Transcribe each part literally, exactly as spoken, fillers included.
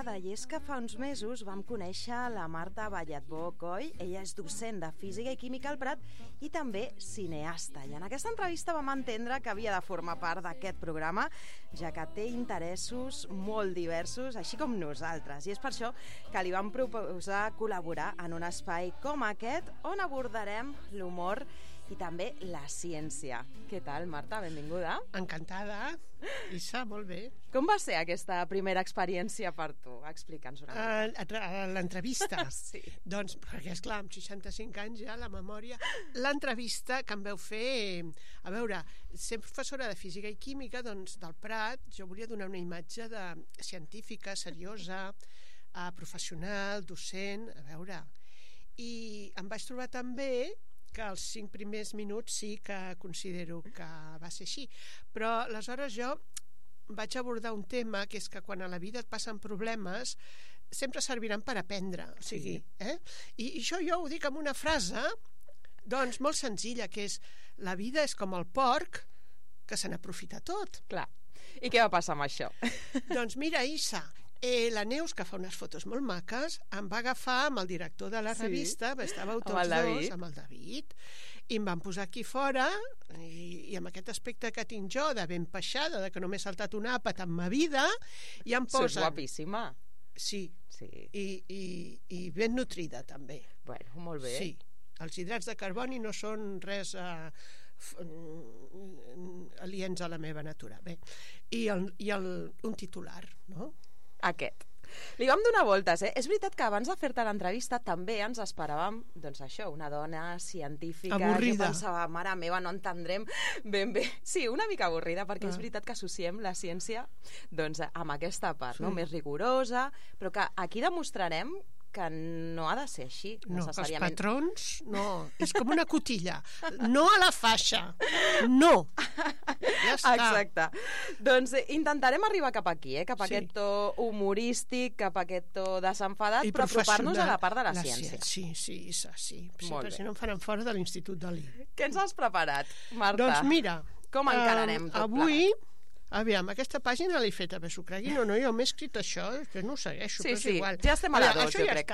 encantada, i és que fa uns mesos vam conèixer la Marta Ballatbó Coll. Ella és docent de Física i Química al Prat i també cineasta. I en aquesta entrevista vam entendre que havia de formar part d'aquest programa, ja que té interessos molt diversos, així com nosaltres. I és per això que li vam proposar col·laborar en un espai com aquest, on abordarem l'humor i també la ciència. Què tal, Marta? Benvinguda. Encantada. Isa, molt bé. Com va ser aquesta primera experiència per tu? Explica'ns una mica. Uh, L'entrevista? Sí. Doncs, perquè esclar, amb seixanta-cinc anys ja, la memòria... L'entrevista que em veu fer... A veure, sent professora de Física i Química, doncs, del Prat, jo volia donar una imatge de científica, seriosa, uh, professional, docent, a veure... I em vaig trobar també que els cinc primers minuts sí que considero que va ser així, però aleshores jo vaig abordar un tema que és que quan a la vida et passen problemes sempre serviran per aprendre, o sigui, eh? I, i això jo ho dic amb una frase doncs molt senzilla, que és: la vida és com el porc que se n'aprofita tot. Clar. I què va passar amb això? Doncs mira, Isa, Eh, la Neus, que fa unes fotos molt maques, em va agafar amb el director de la revista, sí. Estàveu tots amb dos, amb el David, i em van posar aquí fora, i, i amb aquest aspecte que tinc jo, de ben peixada, de que només he saltat un àpat en ma vida, i em posen... Sos guapíssima. Sí, sí. I, i, i ben nutrida, també. Bueno, molt bé. Sí. Els hidrats de carboni no són res eh, aliens a la meva natura. Bé, i, el, i el, un titular, no? Aquest. Li vam donar voltes, eh? És veritat que abans de fer-te l'entrevista també ens esperàvem, doncs això, una dona científica. Avorrida. Jo pensava, mare meva, no entendrem ben bé. Sí, una mica avorrida, perquè ah. és veritat que associem la ciència doncs, amb aquesta part, sí. no? Més rigorosa, però que aquí demostrarem que no ha de ser així, no, necessàriament. Els patrons, no. És com una cotilla. No a la faixa. No. Ja està. Exacte. Doncs eh, intentarem arribar cap aquí, eh? cap a sí. aquest to humorístic, cap a aquest to desenfadat, I però apropar-nos a la part de la, la ciència. Sí, sí, Isa, sí. sí perquè si no em faran fora de l'Institut Dalí. Què ens has preparat, Marta? Doncs mira, com encararem uh, tot avui... plegat? Aviam, aquesta pàgina l'he fet a veure s'ho creguin o no, jo m'he escrit això, després no ho segueixo, sí, però és sí. igual. Ja estem a la dos, jo ja crec.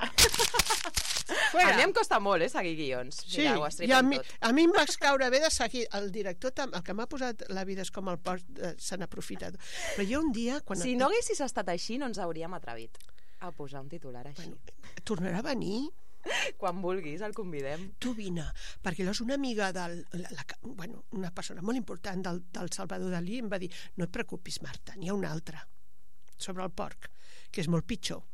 A mi em costa molt, eh, seguir guions. Sí, Mira, ho i a mi, a mi em va caure bé de seguir el director, el que m'ha posat La vida és com el porc, eh, se n'ha aprofitat. Però jo un dia... Quan si no haguessis estat així, no ens hauríem atrevit a posar un titular així. Bueno, tornarà a venir... Quan vulguis, el convidem. Tu vine, perquè és una amiga del, la, la, bueno, una persona molt important del, del Salvador Dalí em va dir: no et preocupis, Marta, n'hi ha una altra sobre el porc, que és molt pitjor.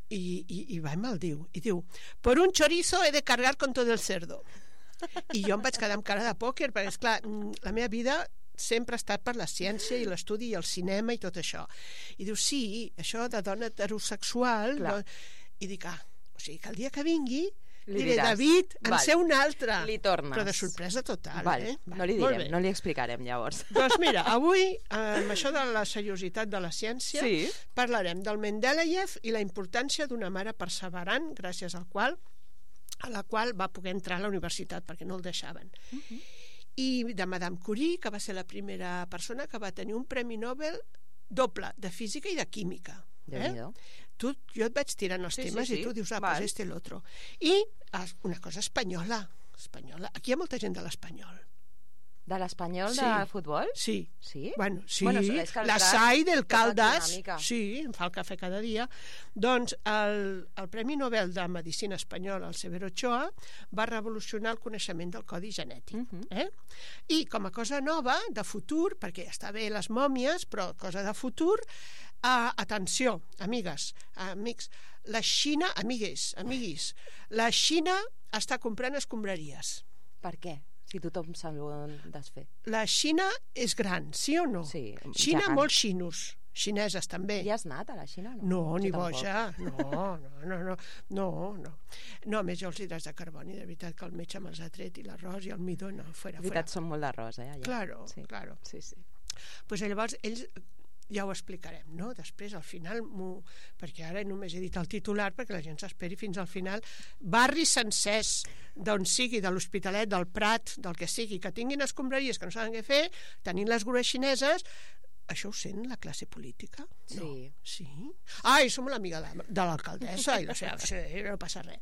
I, i, i va i me'l diu, i diu: por un chorizo he de cargar con todo el cerdo. I jo em vaig quedar amb cara de pòquer, perquè esclar, la meva vida sempre ha estat per la ciència i l'estudi i el cinema i tot això. I diu: sí, això de dona heterosexual, no? I dic: ah, o sigui que el dia que vingui li diré: David, en Val. sé un altre. Li tornes. Però de sorpresa total. Val. Eh? No li direm, no li explicarem llavors. Doncs mira, avui amb això de la seriositat de la ciència sí. parlarem del Mendeleev i la importància d'una mare perseverant, gràcies al qual a la qual va poder entrar a la universitat perquè no el deixaven. Uh-huh. I de Madame Curie, que va ser la primera persona que va tenir un premi Nobel doble, de física i de química. Eh? Tu, jo et vaig tirant els sí, temes sí, sí. i tu dius: ah, Val. pues este l'altre. I una cosa espanyola, espanyola. Aquí hi ha molta gent de l'Espanyol. De l'Espanyol sí. de futbol? Sí. Sí? Bueno, sí. Bueno, és que la S A I del Caldas. Sí, em fa el cafè cada dia. Doncs el, el Premi Nobel de Medicina Espanyol, el Severo Ochoa, va revolucionar el coneixement del codi genètic. Uh-huh. eh? I com a cosa nova, de futur, perquè està bé les mòmies, però cosa de futur, uh, atenció, amigues, amics, la Xina, amigues, amiguis, la Xina està comprant escombraries. Per què? Si tothom se'n vol desfer. La Xina és gran, sí o no? Sí. Xina, gegant. Molts xinos. Xineses també. I has anat a la Xina? No, no ni jo boja. No, no, no, no, no, no. No, a més jo els hidrats de carboni, de veritat que el metge me'ls ha tret, i l'arròs i el midó, no, fora, de veritat, fora. Són molt d'arròs, eh? Allà. Claro, sí. claro. Sí, sí. Pues llavors ells ja ho explicarem, no? Després, al final, perquè ara només he dit el titular perquè la gent s'esperi fins al final, barris sencers d'on sigui, de l'Hospitalet, del Prat, del que sigui, que tinguin escombraries que no saben què fer, tenint les grues xineses, Això ho sent la classe política? Sí. No. Sí? Ai, som l'amiga de, de l'alcaldessa i la seva... Sí, no passa res.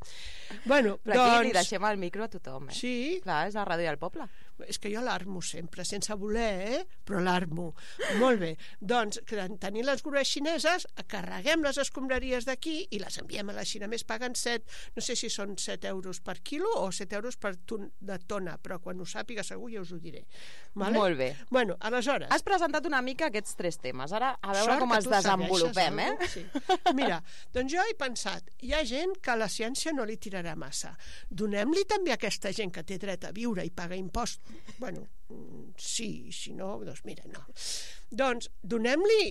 Bueno, Però doncs... aquí li deixem el micro a tothom, eh? Sí? Clar, és la ràdio del poble. És que jo l'armo sempre, sense voler, eh? Però l'armo. Molt bé. Doncs, tenint les grues xineses, carreguem les escombraries d'aquí i les enviem a la Xina. Més paguen set, no sé si són set euros per quilo o set euros per ton, de tona, però quan ho sàpiga segur ja us ho diré. Vale? Molt bé. Bueno, aleshores... Has presentat una mica aquests tres temes. Ara, a veure Sort com que els tu desenvolupem, eh? Sí. Mira, doncs jo he pensat, hi ha gent que la ciència no li tirarà massa. Donem-li també a aquesta gent que té dret a viure i paga impost. Bueno, sí, si no, doncs mira, no. Doncs donem-li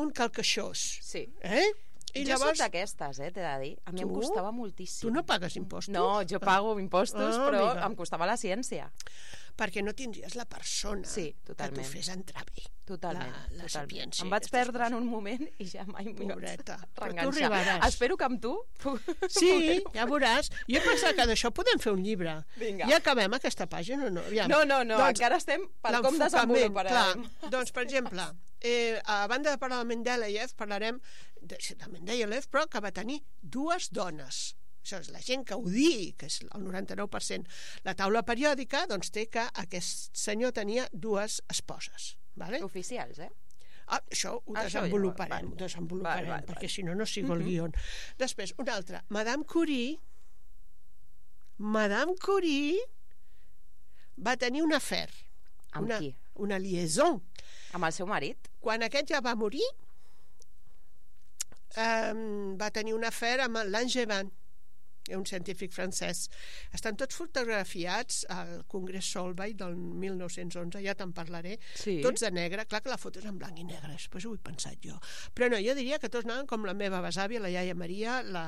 un calcaixós. Sí. Eh? I jo llavors... soc d'aquestes, eh, t'he de dir. A mi Tu? em costava moltíssim. Tu no pagues impostos? No, jo pago impostos, Ah, però amiga. em costava la ciència. Perquè no tindries la persona Sí, totalment. que t'ho fes entrar bé. Totalment. La, la totalment. sapiència. Em vaig aquestes perdre en coses. un moment i ja mai m'hi vaig Pobreta. Però tu reenganxar. arribaràs. Espero que amb tu... Sí, ja veuràs. Jo he pensat que d'això podem fer un llibre. Vinga. Ja acabem aquesta pàgina o no? Aviam. No, no, no, Doncs, encara estem per com l'enfocament, desenvoluparem. clar. Doncs, per exemple, eh, a banda de parlar de Mendeleev, parlarem de, de Mendeleev, però que va tenir dues dones. Això és la gent que ho digui, que és el noranta-nou per cent. La taula periòdica doncs, té que aquest senyor tenia dues esposes. Vale? Oficials, eh? Ah, això ho Això desenvoluparem, ja, ho desenvoluparem, val, val, perquè val. si no, no sigo el guió. Després, una altra. Madame Curie, Madame Curie va tenir un afer. Amb una, qui? Una liaison. Amb el seu marit? Quan aquest ja va morir, eh, va tenir un afer amb Langevin, un científic francès. Estan tots fotografiats al Congrés Solvay del mil nou-cents onze, ja te'n parlaré. Sí. Tots de negre, clar que la foto és en blanc i negre, després ho he pensat jo. Però no, jo diria que tots anaven com la meva besàvia, la iaia Maria, la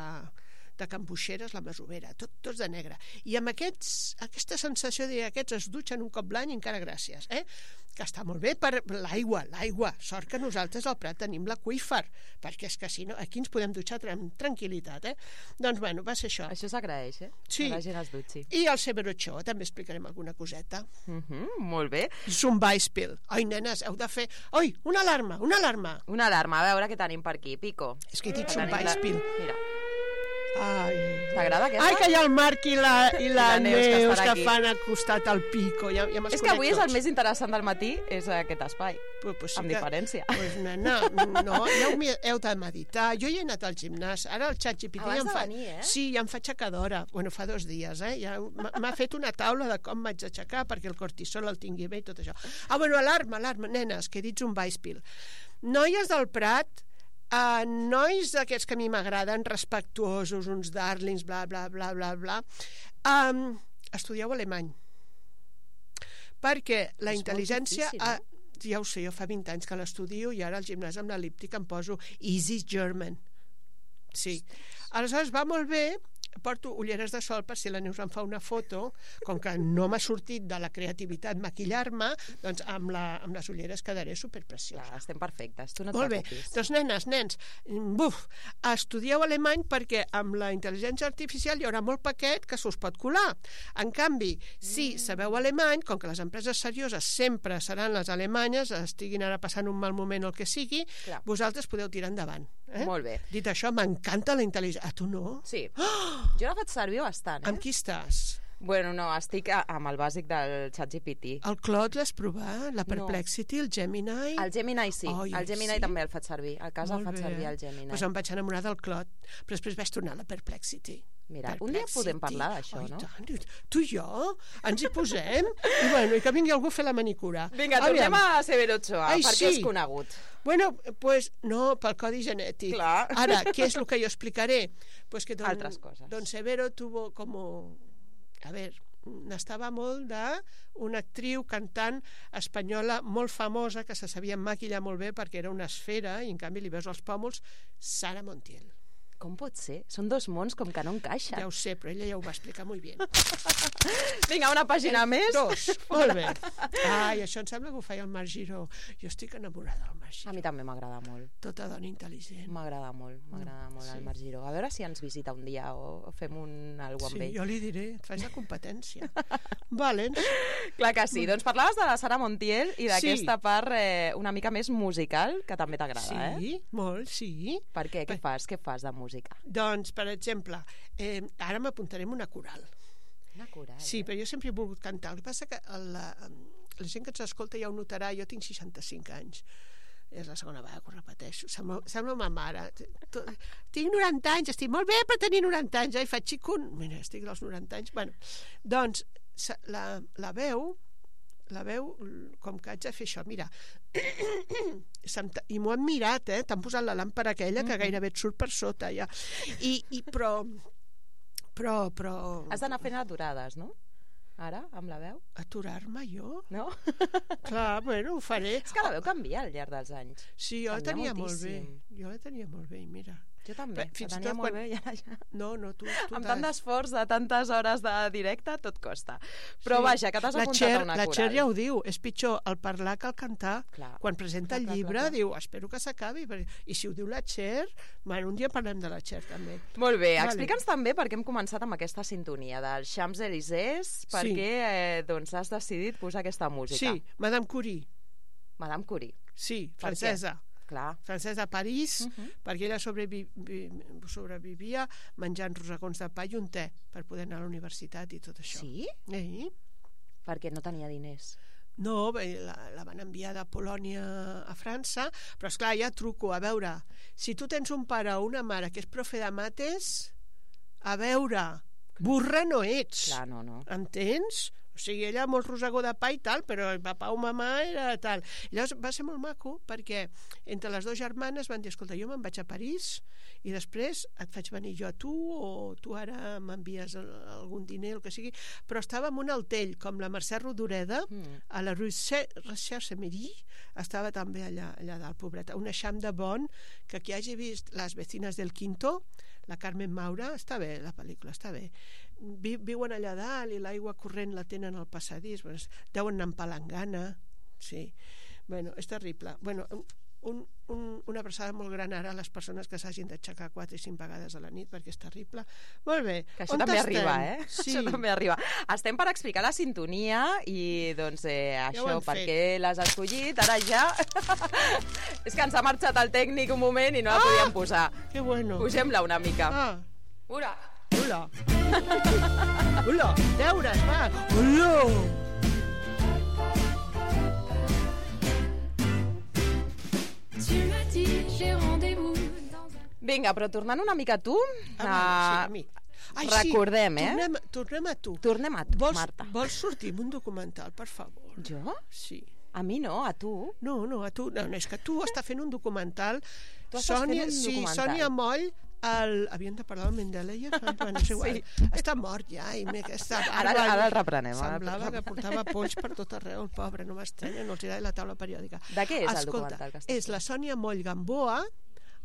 de Can Buixeres, la masovera, tot, tots de negre. I amb aquests, aquesta sensació de que aquests es dutxen un cop l'any, encara gràcies, eh? Que està molt bé per l'aigua, l'aigua. Sort que nosaltres al Prat tenim l'aqüífer, perquè és que si no, aquí ens podem dutxar amb tranquil·litat, eh? Doncs, bueno, va ser això. Això s'agraeix, eh? Sí. Que la gent es dutxi. I el Severo Ochoa, també explicarem alguna coseta. Uh -huh, molt bé. Zumbaispil. Ai, nenes, heu de fer... Oi, una alarma, una alarma. Una alarma, a veure què tenim per aquí, Pico. És que he dit Que tenim la- Zumbaispil. Mira, Ai. t'agrada aquesta? Ai, que hi ha el Marc i la, i la, I la Neus, Neus, que que, estan aquí. fan al costat al Pico. Ja, ja És que avui és el més interessant del matí, és aquest espai, Pues, pues sí amb que, diferència. Pues, nena, no, ja heu, heu de meditar. Jo ja he anat al gimnàs. Ara el xat G P T Abans ja em de fa... venir, eh? Sí, ja em fa aixecadora. Bueno, fa dos dies, eh? Ja m'ha m'ha fet una taula de com m'haig d'aixecar perquè el cortisol el tingui bé i tot això. Ah, bueno, alarma, alarma, nenes, que he dit un Weispil. Noies del Prat, Uh, nois d'aquests que a mi m'agraden, respectuosos, uns darlings, bla, bla, bla, bla, bla, um, estudieu alemany. Perquè la És intel·ligència... molt difícil, Uh, ja ho sé, jo fa vint anys que l'estudio i ara al gimnàs amb l'elíptic em poso Easy German. Sí. Aleshores va molt bé, porto ulleres de sol per si la Neus em fa una foto, com que no m'ha sortit de la creativitat maquillar-me, doncs amb, la, amb les ulleres quedaré superpreciosa. Clar, estem perfectes, tu no et Molt bé, preocupis. doncs nenes, nens, buf, estudieu alemany perquè amb la intel·ligència artificial hi haurà molt paquet que s'us pot colar. En canvi, si sabeu alemany, com que les empreses serioses sempre seran les alemanyes, estiguin ara passant un mal moment o el que sigui, Clar. vosaltres podeu tirar endavant. Eh? Molt bé. Dit això, m'encanta la intel·ligència. A tu no? Sí. Oh! Jo la faig servir bastant, eh? Amb qui estàs? Bueno, no, estic a, amb el bàsic del xat G P T. El Claude l'has provat? La Perplexity, el Gemini? El Gemini sí, Oi, el Gemini sí? també el faig servir. A casa Molt faig bé. servir el Gemini. Doncs em vaig enamorar del Claude, però després vaig tornar a la Perplexity. Mira, un dia podem parlar d'això, oh, no? Tant. Tu i jo ens hi posem i, bueno, i que vingui algú a fer la manicura. Vinga, Aviam. tornem a Severo Ochoa, Ai, perquè sí. és conegut. Bueno, pues no, pel codi genètic. Clar. Ara, què és el que jo explicaré? Pues que don, Altres coses. Don Severo tuvo como... A ver, n'estava molt d'una actriu cantant espanyola molt famosa que se sabia maquillar molt bé perquè era una esfera i en canvi li veus els pòmuls, Sara Montiel. Com pot ser? Són dos mons com que no encaixen. Ja ho sé, però ella ja ho va explicar molt bé. Vinga, una pàgina més. Dos, molt bé. Ai, això em sembla que ho feia el Marc Giró. Jo estic enamorada del Marc Giró. A mi també m'agrada molt. Tota dona intel·ligent. M'agrada molt, m'agrada molt el Marc Giró. A veure si ens visita un dia o fem un algo amb ell. Sí, jo li diré, et faig la competència. Valents. Clar que sí. Doncs parlaves de la Sara Montiel i d'aquesta part eh, una mica més musical, que també t'agrada, eh? Sí, molt, sí. Per què? Què fas? Què fas de música? Doncs, per exemple, eh, ara m'apuntarem una coral. Una coral? Sí, eh? però jo sempre he volgut cantar. El que passa que la, la gent que ens escolta ja ho notarà, jo tinc seixanta-cinc anys. És la segona vegada que ho repeteixo. Sembla, sembla ma mare. Tinc noranta anys, estic molt bé per tenir noranta anys. Ai, faig xicun. Mira, estic als noranta anys. Bueno, doncs, la, la veu... la veu, com que haig de fer això, mira, i m'ho han mirat, eh? T'han posat la làmpara aquella que gairebé et surt per sota ja. I, i però però, però... Has d'anar fent aturades, no? Ara, amb la veu? Aturar-me jo? No? Clar, bueno, ho faré. És que la veu canvia al llarg dels anys. Sí, jo la tenia molt bé. Jo la tenia molt bé, mira. Jo també, fins la tenia tot molt quan... bé i ara ja... No, no, tu... tu amb tant d'esforç, de tantes hores de directe, tot costa. Però sí. Vaja, que t'has apuntat Cher, a una la coral. La Cher ja ho diu, és pitjor el parlar que el cantar. Clar. Quan presenta clar, el clar, llibre, clar, clar. diu, espero que s'acabi. I si ho diu la Cher, bueno, un dia parlem de la Cher, també. Molt bé, vale. Explica'ns també per què hem començat amb aquesta sintonia dels Champs-Élysées, per sí. què eh, doncs, has decidit posar aquesta música. Sí, Madame Curie. Madame Curie. Sí, francesa. Clar. Francesa a París, uh -huh. perquè ella sobrevi sobrevivia menjant rosegons de pa i un te per poder anar a la universitat i tot això. Sí? Eh? Perquè no tenia diners. No, bé, la, la van enviar de Polònia a França, però esclar, ja truco, a veure, si tu tens un pare o una mare que és profe de mates, a veure, burra no ets. Clar, no, no. Entens? O sigui, ella molt rosegó de pa i tal, però el papà o mamà era tal. I llavors va ser molt maco perquè entre les dues germanes van dir, escolta, jo me'n vaig a París i després et faig venir jo a tu o tu ara m'envies algun diner, el que sigui, però estava en un altell, com la Mercè Rodoreda, mm. a la rue Recherche-Méry, estava també allà, allà dalt, pobreta. Un eixam de bon, que qui hagi vist Les vecinas del Quinto, la Carmen Maura, està bé, la pel·lícula, està bé. Vi, viuen allà dalt i l'aigua corrent la tenen al passadís, bueno, deuen anar amb palangana, sí. Bueno, és terrible. Bueno, un, un, una abraçada molt gran ara a les persones que s'hagin d'aixecar quatre i cinc vegades a la nit, perquè és terrible. Molt bé. Que això on també estem? arriba, eh? Sí. Això també arriba. Estem per explicar la sintonia i, doncs, eh, ja això, per què l'has escollit, ara ja... És que ens ha marxat el tècnic un moment i no la ah! podíem posar. Que bueno. Posem-la una mica. Ah. Ura! Hola. Hola, deures, va. Hola. Vinga, però tornant una mica a tu, a, a... Sí, a mi. Ai, recordem, sí, eh? Tornem, tornem a tu. Tornem a tu, vols, Marta. Vols sortir en un documental, per favor? Jo? Sí. A mi no, a tu. No, no, a tu. No, no és que tu estàs fent un documental. Tu estàs Sònia, fent un sí, documental. Sònia Moll, el... havíem de parlar del Mendeleev? Bueno, és igual. Sí. Està mort ja. I aquesta ara, ara el reprenem. Semblava que portava polls per tot arreu, el pobre, no m'estranya, no els hi la taula periòdica. De què és Escolta, el documental que estàs és la Sònia Moll Gamboa,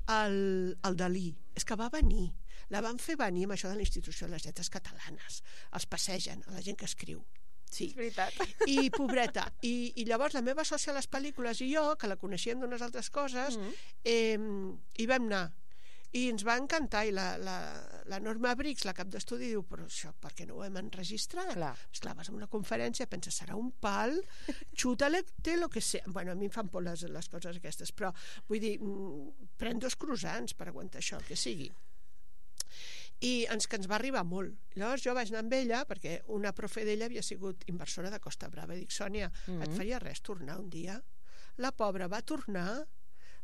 el, el Dalí. És que va venir. La van fer venir amb això de la Institució de les Lletres Catalanes. Els passegen, a la gent que escriu. Sí. És veritat. I pobreta. I, I llavors la meva sòcia a les pel·lícules i jo, que la coneixíem d'unes altres coses, mm. eh, hi vam anar. I ens va encantar. I la, la, la Norma Briggs, la cap d'estudi, diu, però això, per què no ho hem enregistrat? Clar. Esclar, vas a una conferència, penses, serà un pal, xuta-le, té lo que sé. Bueno, a mi em fan por les, les coses aquestes, però vull dir, pren dos croissants per aguantar això, el que sigui. I ens, que ens va arribar molt. Llavors jo vaig anar amb ella, perquè una profe d'ella havia sigut inversora de Costa Brava, i dic, Sònia, mm-hmm. et faria res tornar un dia? La pobra va tornar,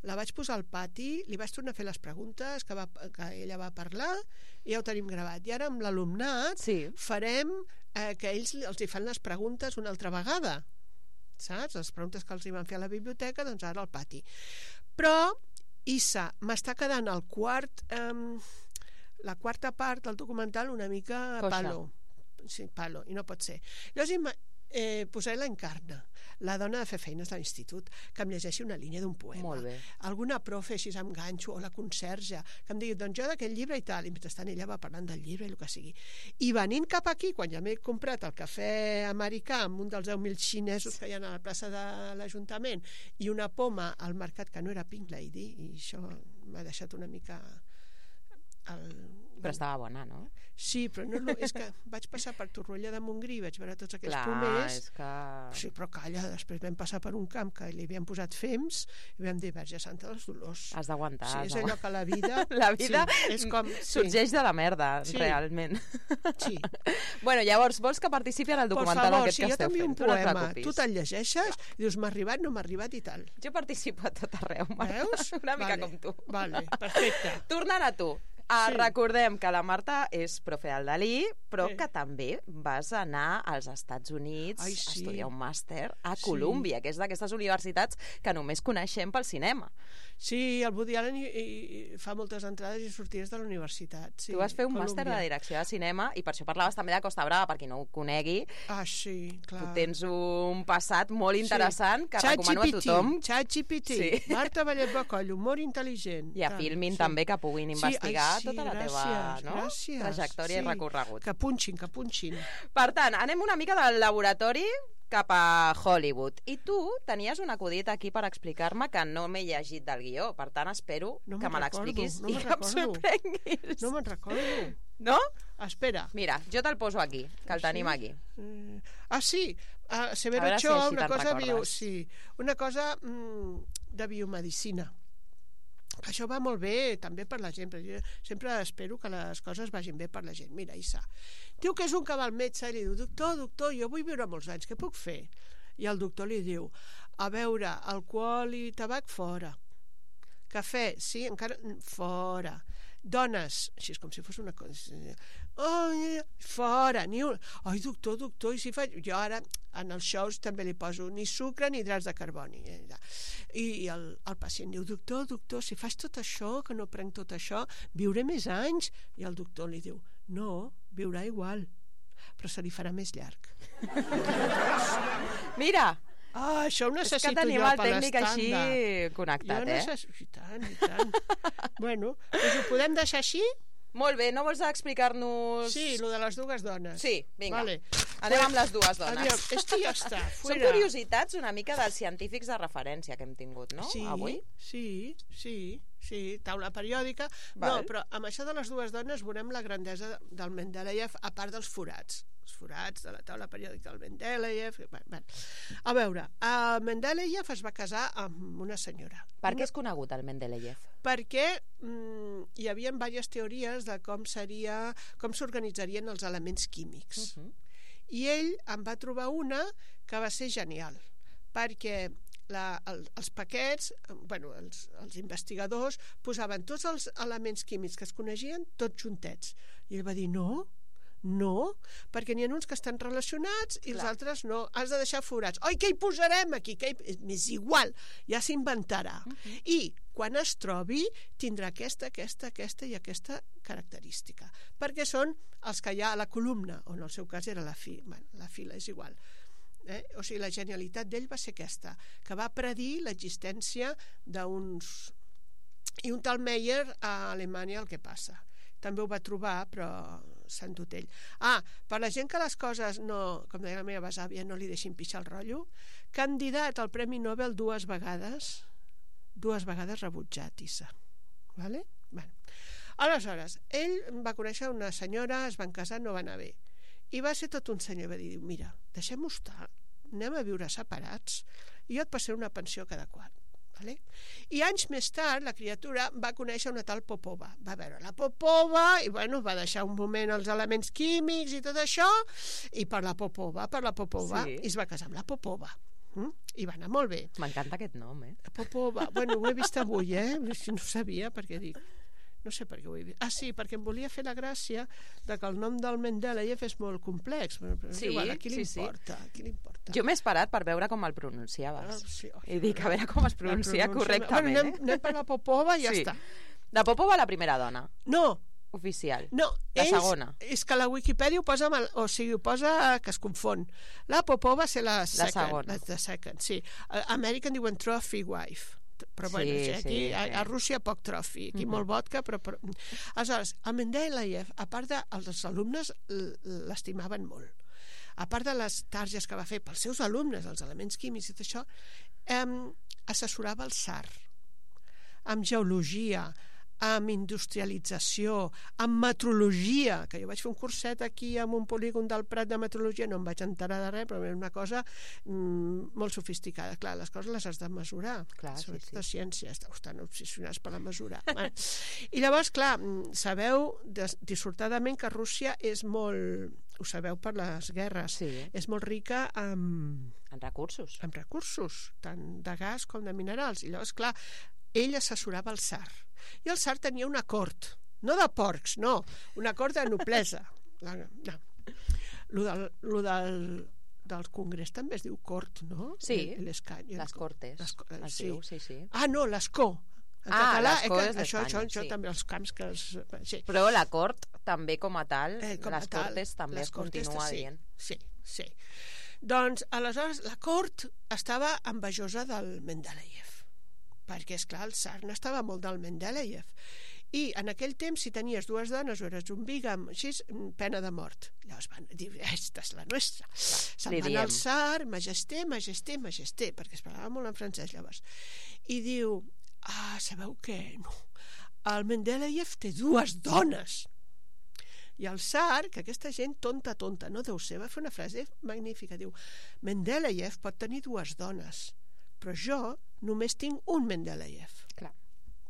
la vaig posar al pati, li vaig tornar a fer les preguntes que, va, que ella va parlar, i ja ho tenim gravat. I ara amb l'alumnat sí. farem eh, que ells els hi fan les preguntes una altra vegada, saps? Les preguntes que els hi van fer a la biblioteca, doncs ara al pati. Però, Issa, m'està quedant el quart... Eh, la quarta part del documental una mica Coixa. palo. Sí, palo, i no pot ser. Llavors, eh, posar l'Encarna, la dona de fer feines de l'institut, que em llegeixi una línia d'un poema. Molt bé. Alguna profe, així amb ganxo, o la conserge, que em digui, doncs jo d'aquest llibre i tal, i mentrestant ella va parlant del llibre i el que sigui. I venint cap aquí, quan ja m'he comprat el cafè americà amb un dels deu mil xinesos que hi ha a la plaça de l'Ajuntament i una poma al mercat que no era Pink Lady, i això m'ha deixat una mica... El... Però estava bona, no? Sí, però no, és que vaig passar per Torroella de Montgrí, vaig veure tots aquells Clar, pomers. és que... Sí, però calla, després vam passar per un camp que li havien posat fems i vam dir, Verge Santa dels Dolors. Has d'aguantar. Sí, és allò que la vida... la vida sí, és com, sí. sorgeix de la merda, sí. realment. Sí. Bueno, llavors, vols que participi en el documental favor, aquest si que esteu fent? Por favor, si jo t'envio un poema, tu te'l llegeixes i dius, m'ha arribat, no m'ha arribat i tal. Jo participo a tot arreu, Marta. Veus? Una mica vale. com tu. Vale, perfecte. Tornant a tu. Ah, Sí. Recordem que la Marta és profe del Dalí, però Sí. que també vas anar als Estats Units Ai, a sí. estudiar un màster a Sí. Colúmbia, que és d'aquestes universitats que només coneixem pel cinema. Sí, el Woody Allen i, i fa moltes entrades i sortides de la universitat. Sí, Tu vas fer un Colúmbia. màster de direcció de cinema i per això parlaves també de Costa Brava, per qui no ho conegui. Ah, sí, clar. Tu tens un passat molt interessant que Chat recomano G P T, a tothom. Chat G P T, Sí. Marta Vallet Bacoll, humor intel·ligent. I a Tal, Filmin sí. també, que puguin Sí, investigar ai, sí, tota la teva gràcies, no? gràcies, trajectòria sí. i recorregut. Que punxin, que punxin. Per tant, anem una mica del laboratori cap a Hollywood. I tu tenies un acudit aquí per explicar-me que no m'he llegit del guió. Per tant, espero No que me'n me recordo, l'expliquis no i me'n que em recordo. sorprenguis. No me'n recordo. No? Espera. Mira, jo te'l poso aquí, que el Sí? tenim aquí. Eh, ah, sí. Uh, Severo A veure si Ochoa, així una te'n cosa, bio, recordes. sí, una cosa mm, de biomedicina. Això va molt bé també per la gent, però jo sempre espero que les coses vagin bé per la gent. Mira, Issa, diu que és un que va al metge i li diu, doctor, doctor, jo vull viure molts anys, què puc fer? I el doctor li diu, a veure, alcohol i tabac fora, cafè, sí, encara fora, dones, així és com si fos una cosa, oh, fora, ni un... Ai, doctor, doctor, i si faig... Jo ara, en els shows també li poso ni sucre ni hidrats de carboni. I el, el pacient diu, doctor, doctor, si faig tot això, que no prenc tot això, viuré més anys? I el doctor li diu, no, viurà igual, però se li farà més llarg. Mira, Ah, això ho és necessito que tenim jo el per tècnic així l'estàndard. connectat, Jo eh? necessito... I tant, i tant. Bueno, doncs ho podem deixar així? Molt bé, no vols explicar-nos... Sí, lo de les dues dones. Sí, vinga. Vale. Anem amb les dues dones. Adiós. Esto ja està. Són Fuera. curiositats una mica dels científics de referència que hem tingut, no? Sí, Avui. sí, sí, sí, taula periòdica. Val. No, però amb això de les dues dones veurem la grandesa del Mendeleev, a part dels forats. Els forats de la taula periòdica del Mendeleev. Bueno, a veure, el Mendeleev es va casar amb una senyora. Per què és conegut el Mendeleev? Perquè mm, hi havia diverses teories de com seria, com s'organitzarien els elements químics. Uh -huh. I ell en va trobar una que va ser genial, perquè la, el, els paquets, bueno, els, els investigadors posaven tots els elements químics que es coneixien tots juntets. I ell va dir, no, no, perquè n'hi ha uns que estan relacionats i els Clar. altres no. Has de deixar forats. Oi, què hi posarem aquí? Què hi... És igual, ja s'inventarà. Uh -huh. I quan es trobi tindrà aquesta, aquesta, aquesta i aquesta característica, perquè són els que hi ha a la columna, o en el seu cas era la fila, bueno, la fila és igual. Eh? O sigui, la genialitat d'ell va ser aquesta, que va predir l'existència d'uns... I un tal Meyer a Alemanya el que passa. També ho va trobar, però s'ha endut ell. Ah, per la gent que les coses no, com deia la meva besàvia, no li deixin pixar el rotllo, candidat al Premi Nobel dues vegades, dues vegades rebutjat, Issa. Vale? Bueno. Aleshores, ell va conèixer una senyora, es van casar, no va anar bé. I va ser tot un senyor, va dir, mira, deixem-ho estar, anem a viure separats i jo et passaré una pensió cada quart. Vale? I anys més tard la criatura va conèixer una tal Popova, va veure la Popova i bueno, va deixar un moment els elements químics i tot això i per la Popova, per la Popova Sí. i es va casar amb la Popova. Mm? I va anar molt bé. M'encanta aquest nom, eh? Popova, bueno, ho he vist avui, eh? Si no sabia, perquè dic... No sé per què ho he vist. Ah, sí, perquè em volia fer la gràcia de que el nom del Mendeleev és molt complex. Però, però Sí, igual, a qui li sí, sí. importa? A qui li importa? Jo m'he esperat per veure com el Ah, pronunciaves. sí, oi, I dic, a veure com es pronuncia la pronuncia- correctament, bueno, anem, eh? anem per la Popova i ja Sí. està. La Popova, la primera dona. No, oficial. No, la ells, segona. És que la Wikipedia ho posa, mal, o sigui, ho posa que es confon. La Popova va ser la second. La segona. La, la second, sí. A Amèrica en diuen trophy wife. Però bueno, Sí, sí, aquí sí, a, sí. a Rússia poc trophy, aquí mm -hmm. molt vodka, però, però... Aleshores, el Mendeleev, a part dels alumnes, l'estimaven molt. A part de les targes que va fer pels seus alumnes, els elements químics i tot això, eh, assessorava el tsar amb geologia, amb industrialització, amb metrologia, que jo vaig fer un curset aquí en un polígon del Prat de metrologia, no em vaig enterar de res, però era una cosa mm, molt sofisticada. Clar, les coses les has de mesurar. Clar, sobretot sí, sí. de ciència, estan obsessionats per la mesura. Bueno, i llavors, clar, sabeu dissortadament que Rússia és molt, ho sabeu per les guerres, Sí. és molt rica en, En recursos. en recursos, tant de gas com de minerals. I llavors, clar, ell assessorava el tsar. I el tsar tenia una cort, no de porcs, no, una cort de noblesa. La, no. Lo del, lo del, del Congrés també es diu cort, no? Sí, El, l'escany, les cortes. Les, Es sí. diu, sí, sí. Ah, no, l'escó. En Ah, català, l'escó eh, és que, això, això, d'Espanya, això sí. també, els camps que els... Sí. Però la cort, també com a tal, Eh, com a les tal, cortes també les es cortes, continua sí, dient. Sí, sí. Doncs, aleshores, la cort estava envejosa del Mendeleev, perquè, és clar, el tsar n'estava molt del Mendeleev. I en aquell temps, si tenies dues dones o eres un bígam, així, pena de mort. Llavors van dir, esta és la nostra. Se'n van al tsar, majesté, majesté, majesté, perquè es parlava molt en francès llavors. I diu, ah, sabeu què? No. El Mendeleev té dues dones. I el tsar, que aquesta gent tonta, tonta, no deu ser, va fer una frase magnífica, diu, Mendeleev pot tenir dues dones, però jo només tinc un Mendeleev. Clar.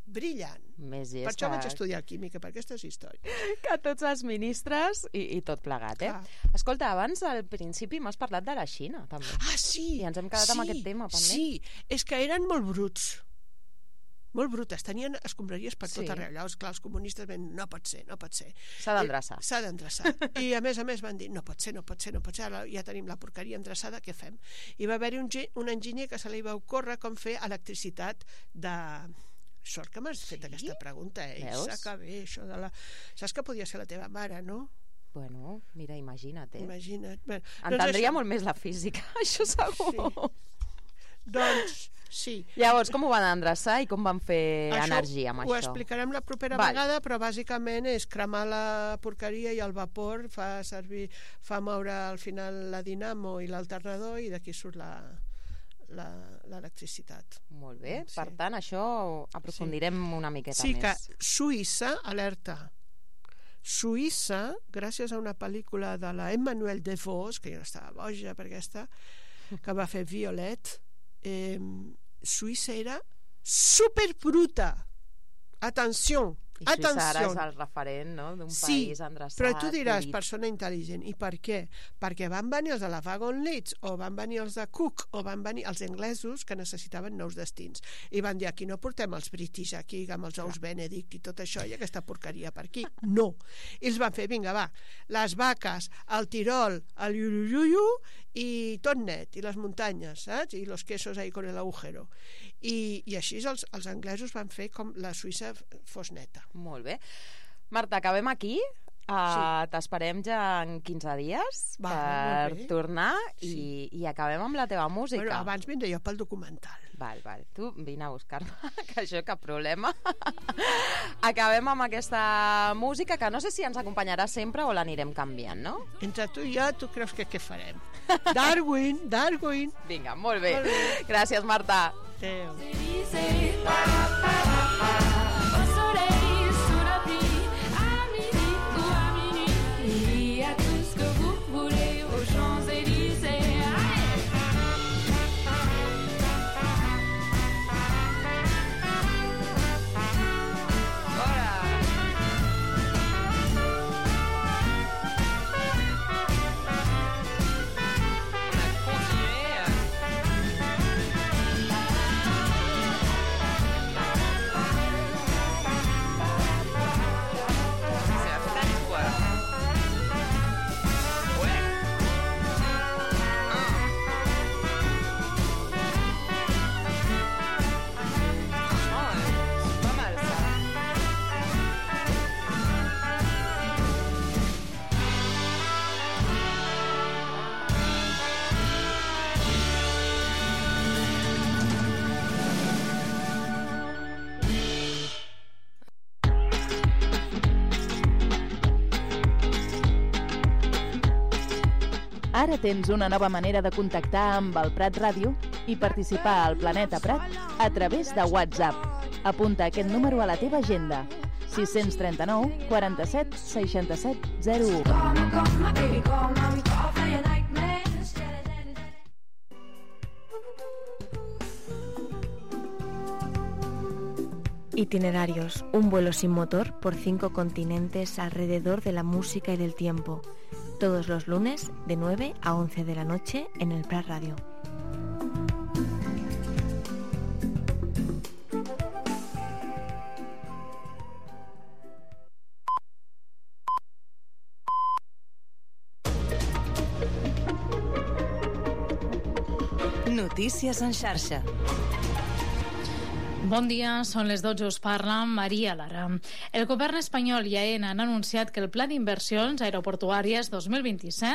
Brillant. Més Per això vaig estudiar química, per aquestes històries. Que tots els ministres i, i tot plegat, eh? Clar. Escolta, abans al principi m'has parlat de la Xina, també. Ah, sí! I ens hem quedat sí, amb aquest tema, pendent. Sí, és que eren molt bruts. Molt brutes, tenien escombraries per Sí. tot arreu. Llavors, clar, els comunistes van dir, no pot ser, no pot ser. S'ha d'endreçar. I- S'ha d'endreçar. I a més a més van dir, no pot ser, no pot ser, no pot ser, ara ja tenim la porqueria endreçada, què fem? I va haver-hi un, ge- un enginyer que se li va ocórrer com fer electricitat de... Sort que m'has fet Sí? aquesta pregunta, eh? Veus? Saca bé, això de la... Saps que podia ser la teva mare, no? Bueno, mira, imagina't, eh? Imagina't. Bueno, Entendria això- molt més la física, això segur. Sí. Doncs, sí. Llavors, com ho van endreçar i com van fer Això energia amb ho això? explicarem la propera Val. vegada, però bàsicament és cremar la porqueria i el vapor fa servir, fa moure al final la dinamo i l'alternador i d'aquí surt la la- l'electricitat. Molt bé, Sí. per tant, això aprofundirem una miqueta Sí, més. que Suïssa, alerta, Suïssa, gràcies a una pel·lícula de la Emmanuel DeVos, que jo estava boja per aquesta, que va fer Violet, eh, Suïssa era superbruta. Atenció, I Suïssa ara és atenció. el referent, no?, d'un Sí, país endreçat. però tu diràs, polit. persona intel·ligent, i per què? Perquè van venir els de la Wagon Leeds, o van venir els de Cook, o van venir els anglesos que necessitaven nous destins. I van dir, aquí no portem els British, aquí amb els ous Benedict i tot això, i aquesta porqueria per aquí. No. I els van fer, vinga, va, les vaques, el Tirol, el Iuruyuyu, i tot net, i les muntanyes, saps? I los quesos ahí con el agujero. I, i així els, els anglesos van fer com la Suïssa fos neta. Molt bé. Marta, acabem aquí. Uh, sí. T'esperem ja en quinze dies Va, per molt bé. tornar Sí. i, i acabem amb la teva música. Bueno, abans vindré jo pel documental. Val, val. Tu vine a buscar-me, que això cap problema. Acabem amb aquesta música, que no sé si ens acompanyarà sempre o l'anirem canviant, no? Entre tu i jo, tu creus que què farem? Darwin, Darwin. Vinga, molt bé. Molt bé. Gràcies, Marta. Adéu. Au soleil, sous la pluie, à midi ou à minuit, il y a tout ce que vous voulez aux Champs-Élysées. Ara tens una nova manera de contactar amb el Prat Ràdio i participar al Planeta Prat a través de WhatsApp. Apunta aquest número a la teva agenda. sis cents trenta-nou quaranta-set seixanta-set zero u. Itinerarios, un vuelo sin motor por cinco continentes alrededor de la música y del tiempo. Todos los lunes de nueve a once de la noche en el Prat Radio. Notícies en xarxa. Bon dia, són les dotze, us parla Maria Lara. El govern espanyol i AENA han anunciat que el Pla d'Inversions Aeroportuàries dos mil vint-i-set